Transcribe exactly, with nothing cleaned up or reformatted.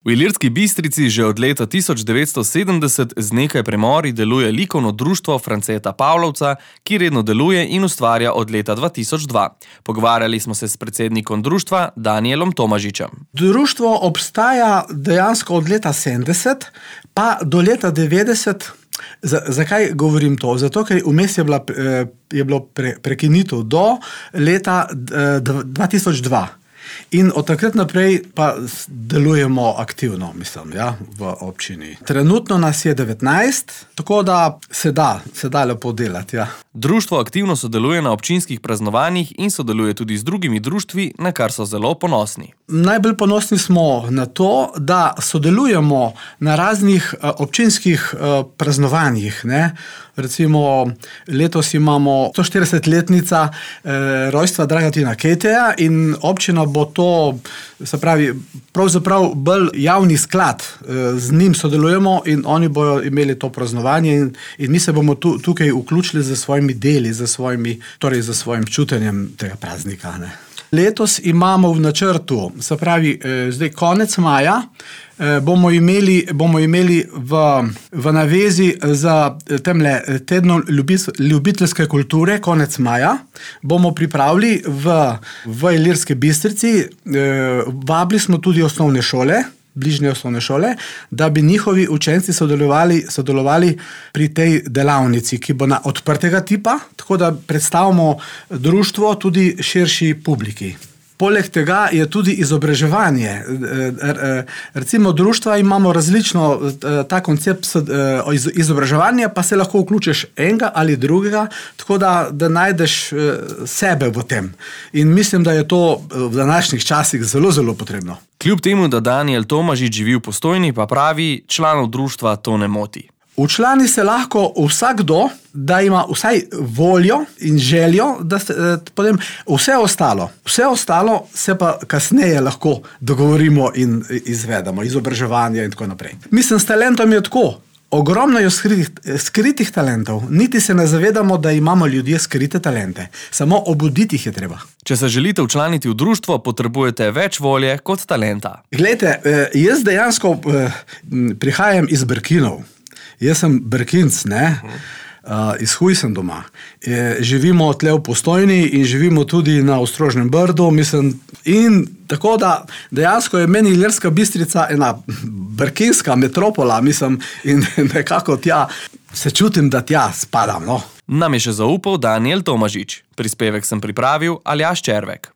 V Ilirski Bistrici že od leta tisoč devetsto sedemdeset z nekaj premori deluje likovno društvo Franceta Pavlovca, ki redno deluje in ustvarja od leta dva tisoč dva. Pogovarjali smo se s predsednikom društva Danijelom Tomažičem. Društvo obstaja dejansko od leta sedemdeset pa do leta devetdeset. Z, zakaj govorim to? Zato, ker vmes je, bila, je bilo pre, prekinitev do leta dva tisoč dva. In od takrat naprej pa delujemo aktivno, mislim, ja, v občini. Trenutno nas je devetnajst, tako da se da, se da lepo delati, ja. Društvo aktivno sodeluje na občinskih praznovanjih in sodeluje tudi z drugimi društvi, na kar so zelo ponosni. Najbolj ponosni smo na to, da sodelujemo na raznih občinskih praznovanjih, ne. Recimo, letos imamo stoštiridesetletnica eh, rojstva Dragatina Keteja in občina bo to, se pravi, pravzaprav bolj javni sklad, eh, z njim sodelujemo in oni bojo imeli to praznovanje in, in mi se bomo tu, tukaj vključili za svojimi deli, za svojimi, torej za svojim čutenjem tega praznika, ne. Letos imamo v načrtu, se pravi, eh, zdaj konec maja, eh, bomo imeli, bomo imeli v, v navezi za temle tedno ljubiteljske kulture, konec maja, bomo pripravili v, v Ilirski Bistrici, eh, vabili smo tudi osnovne šole, bližnje osnovne šole, da bi njihovi učenci sodelovali, sodelovali pri tej delavnici, ki bo na odprtega tipa, tako da predstavimo društvo tudi širši publiki. Poleg tega je tudi izobraževanje. Recimo društva imamo različno ta koncept izobraževanja, pa se lahko vključiš enega ali drugega, tako da, da najdeš sebe v tem. In mislim, da je to v današnjih časih zelo, zelo potrebno. Kljub temu, da Danijel Tomažič živi v Postojni, pa pravi, članov društva to ne moti. Včlani se lahko vsakdo, da ima vsaj voljo in željo, da se, potem vse ostalo, vse ostalo se pa kasneje lahko dogovorimo in izvedemo, izobraževanje in tako naprej. Mislim, s talentom je tako. Ogromno je skritih, skritih talentov, niti se ne zavedamo, da imamo ljudje skrite talente. Samo obuditi jih je treba. Če se želite včlaniti v društvo, potrebujete več volje kot talenta. Glejte, jaz dejansko prihajam iz Brkinov. Jaz sem Brkinc, ne? Uh, iz Huj sem doma. E, živimo tle v Postojni in živimo tudi na Ostrožnem Brdu, mislim, in tako da dejansko je meni Ilirska Bistrica ena brkinska metropola, mislim, in nekako tja se čutim, da tja spadam, no. Nam je še zaupal Danijel Tomažič. Prispevek sem pripravil Aljaž Červek.